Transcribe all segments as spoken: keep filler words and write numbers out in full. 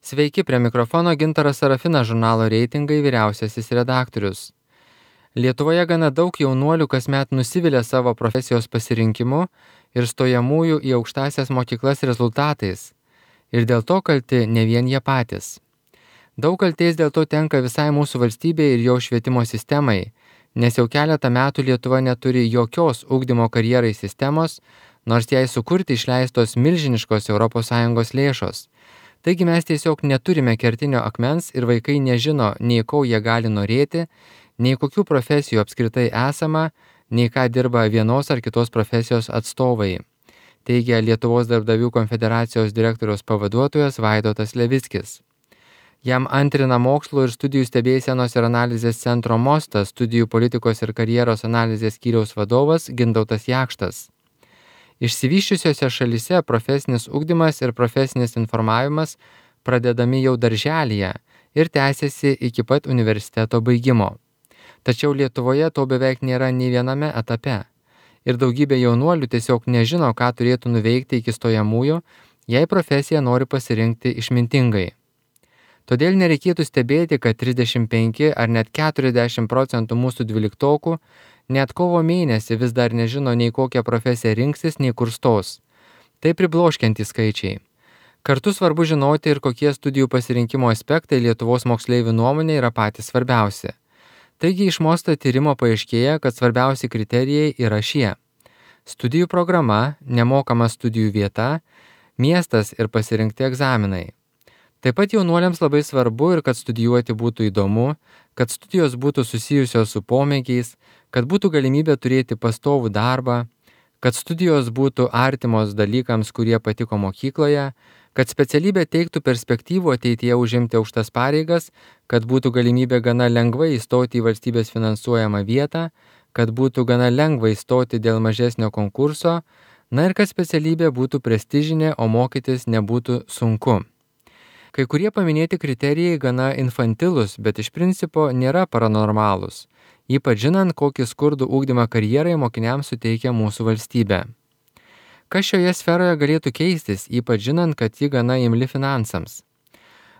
Sveiki, prie mikrofono Gintaras Sarafinas, žurnalo Reitingai vyriausiasis redaktorius. Lietuvoje gana daug jaunuolių kasmet nusivilia savo profesijos pasirinkimu ir stojamųjų į aukštąsias mokyklas rezultatais. Ir dėl to kalti ne vien jie patys. Daug kaltės dėl to tenka visai mūsų valstybei ir jo švietimo sistemai, nes jau keletą metų Lietuva neturi jokios ugdymo karjerai sistemos, nors jai sukurti išleistos milžiniškos Europos Sąjungos lėšos. Taigi mes tiesiog neturime kertinio akmens ir vaikai nežino, nei ko jie gali norėti, nei kokių profesijų apskritai esama, nei ką dirba vienos ar kitos profesijos atstovai, teigia Lietuvos darbdavių konfederacijos direktoriaus pavaduotojas Vaidotas Levickis. Jam antrina mokslo ir studijų stebėsenos ir analizės centro Mostas studijų politikos ir karjeros analizės skyriaus vadovas Gintautas Jakštas. Išsivysčiusiose šalyse profesinis ugdymas ir profesinis informavimas pradedami jau darželyje ir tęsiasi iki pat universiteto baigimo. Tačiau Lietuvoje to beveik nėra nei viename etape. Ir daugybė jaunuolių tiesiog nežino, ką turėtų nuveikti iki stojamųjų, jei profesiją nori pasirinkti išmintingai. Todėl nereikėtų stebėti, kad trisdešimt penki ar net keturiasdešimt procentų mūsų dvyliktokų net kovo mėnesį vis dar nežino nei kokią profesiją rinksis, nei kur stos. Tai pribloškiantys skaičiai. Kartu svarbu žinoti ir kokie studijų pasirinkimo aspektai Lietuvos moksleivių nuomonė yra patys svarbiausi. Taigi iš Mosto tyrimo paaiškėja, kad svarbiausi kriterijai yra šie. Studijų programa, nemokama studijų vieta, miestas ir pasirinkti egzaminai. Taip pat jaunuoliams labai svarbu ir kad studijuoti būtų įdomu, kad studijos būtų susijusios su pomėgiais, kad būtų galimybė turėti pastovų darbą, kad studijos būtų artimos dalykams, kurie patiko mokykloje, kad specialybė teiktų perspektyvų ateityje užimti aukštas pareigas, kad būtų galimybė gana lengvai įstoti į valstybės finansuojamą vietą, kad būtų gana lengva įstoti dėl mažesnio konkurso, na ir kad specialybė būtų prestižinė, o mokytis nebūtų sunku. Kai kurie paminėti kriterijai gana infantilus, bet iš principo nėra paranormalūs, ypač žinant, kokį skurdų ugdymą karjerai mokiniams suteikia mūsų valstybė. Kas šioje sferoje galėtų keistis, ypač žinant, kad ji gana imli finansams?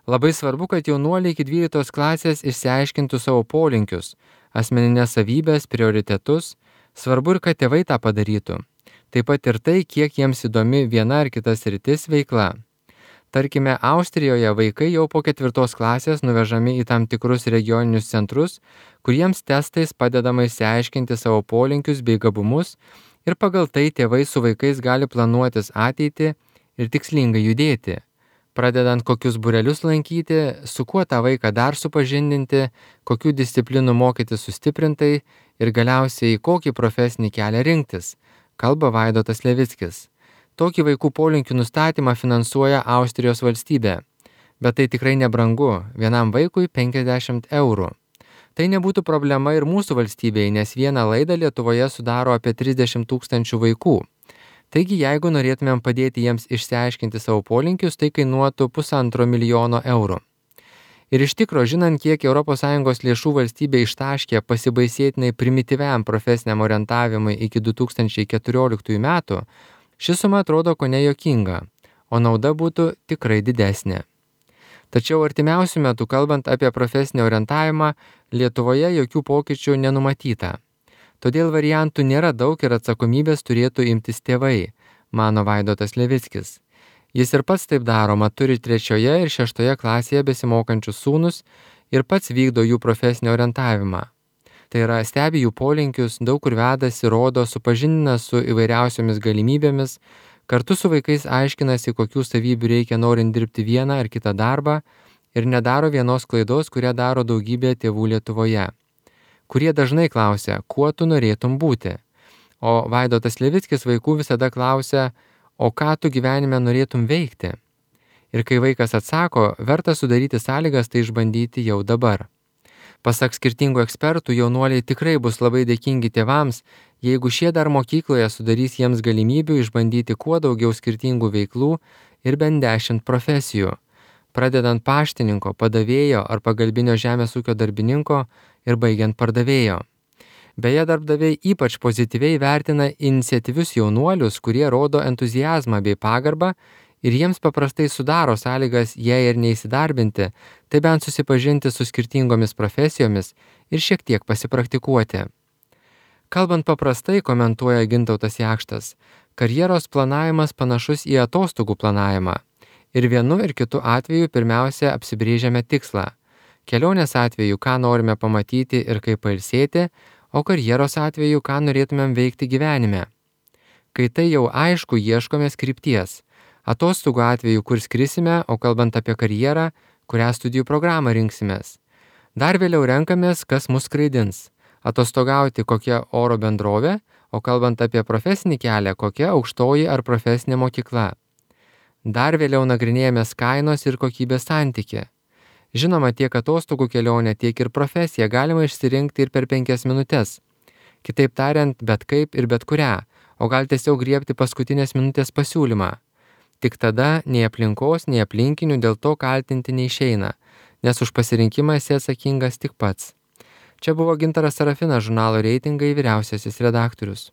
Labai svarbu, kad jaunuoliai iki dvyliktos klasės išsiaiškintų savo polinkius, asmeninės savybės, prioritetus, svarbu ir kad tėvai tą padarytų. Taip pat ir tai, kiek jiems įdomi viena ar kita sritis veikla. Tarkime, Austrijoje vaikai jau po ketvirtos klasės nuvežami į tam tikrus regioninius centrus, kuriems testais padedama išsiaiškinti savo polinkius bei gabumus ir pagal tai tėvai su vaikais gali planuotis ateitį ir tikslingai judėti, pradedant kokius būrelius lankyti, su kuo tą vaiką dar supažindinti, kokių disciplinų mokyti sustiprintai ir galiausiai kokį profesinį kelią rinktis, kalba Vaidotas Levickis. Tokį vaikų polinkių nustatymą finansuoja Austrijos valstybė, bet tai tikrai nebrangu, vienam vaikui penkiasdešimt eurų. Tai nebūtų problema ir mūsų valstybei, nes vieną laidą Lietuvoje sudaro apie trisdešimt tūkstančių vaikų. Taigi, jeigu norėtumėm padėti jiems išsiaiškinti savo polinkius, tai kainuotų pusantro milijono eurų. Ir iš tikro, žinant, kiek Europos Sąjungos lėšų valstybė ištaškė pasibaisėtinai primityviam profesiniam orientavimui iki du tūkstančiai keturioliktųjų metų, ši suma atrodo kone juokinga, o nauda būtų tikrai didesnė. Tačiau artimiausių metų, kalbant apie profesinį orientavimą, Lietuvoje jokių pokyčių nenumatyta. Todėl variantų nėra daug ir atsakomybės turėtų imtis tėvai, mano Vaidotas Levickis. Jis ir pats taip daroma, turi trečioje ir šeštoje klasėje besimokančius sūnus ir pats vykdo jų profesinį orientavimą. Tai yra stebi jų polinkius, daug kur vedasi, rodo, supažindina su įvairiausiomis galimybėmis, kartu su vaikais aiškinasi, kokių savybių reikia norint dirbti vieną ar kitą darbą ir nedaro vienos klaidos, kurią daro daugybė tėvų Lietuvoje, kurie dažnai klausia, kuo tu norėtum būti. O Vaidotas Levickis vaikų visada klausia, o ką tu gyvenime norėtum veikti. Ir kai vaikas atsako, verta sudaryti sąlygas tai išbandyti jau dabar. Pasak skirtingų ekspertų, jaunuoliai tikrai bus labai dėkingi tėvams, jeigu šie dar mokykloje sudarys jiems galimybių išbandyti kuo daugiau skirtingų veiklų ir bent dešimt profesijų, pradedant paštininko, padavėjo ar pagalbinio žemės ūkio darbininko ir baigiant pardavėjo. Beje, darbdaviai ypač pozityviai vertina iniciatyvius jaunuolius, kurie rodo entuziazmą bei pagarbą Ir jiems paprastai sudaro sąlygas, jei ir neįsidarbinti, tai bent susipažinti su skirtingomis profesijomis ir šiek tiek pasipraktikuoti. Kalbant paprastai, komentuoja Gintautas Jakštas, karjeros planavimas panašus į atostogų planavimą. Ir vienu ir kitu atveju pirmiausia apsibrėžiame tikslą. Kelionės atveju, ką norime pamatyti ir kaip pailsėti, o karjeros atveju, ką norėtumėm veikti gyvenime. Kai tai jau aišku, ieškome krypties. Atostogų atveju, kur skrisime, o kalbant apie karjerą, kurią studijų programą rinksimės. Dar vėliau renkamės, kas mus skraidins. Atostogauti kokia oro bendrovė, o kalbant apie profesinį kelią, kokia aukštoji ar profesinė mokykla. Dar vėliau nagrinėjamės kainos ir kokybės santykį. Žinoma, tiek atostogų kelionę, tiek ir profesiją galima išsirinkti ir per penkias minutės. Kitaip tariant, bet kaip ir bet kurią, o gal tiesiog griebti paskutinės minutės pasiūlymą. Tik tada nei aplinkos, nei aplinkinių dėl to kaltinti neišeina, nes už pasirinkimą esi atsakingas tik pats. Čia buvo Gintaras Sarafinas, žurnalo Reitingai vyriausiasis redaktorius.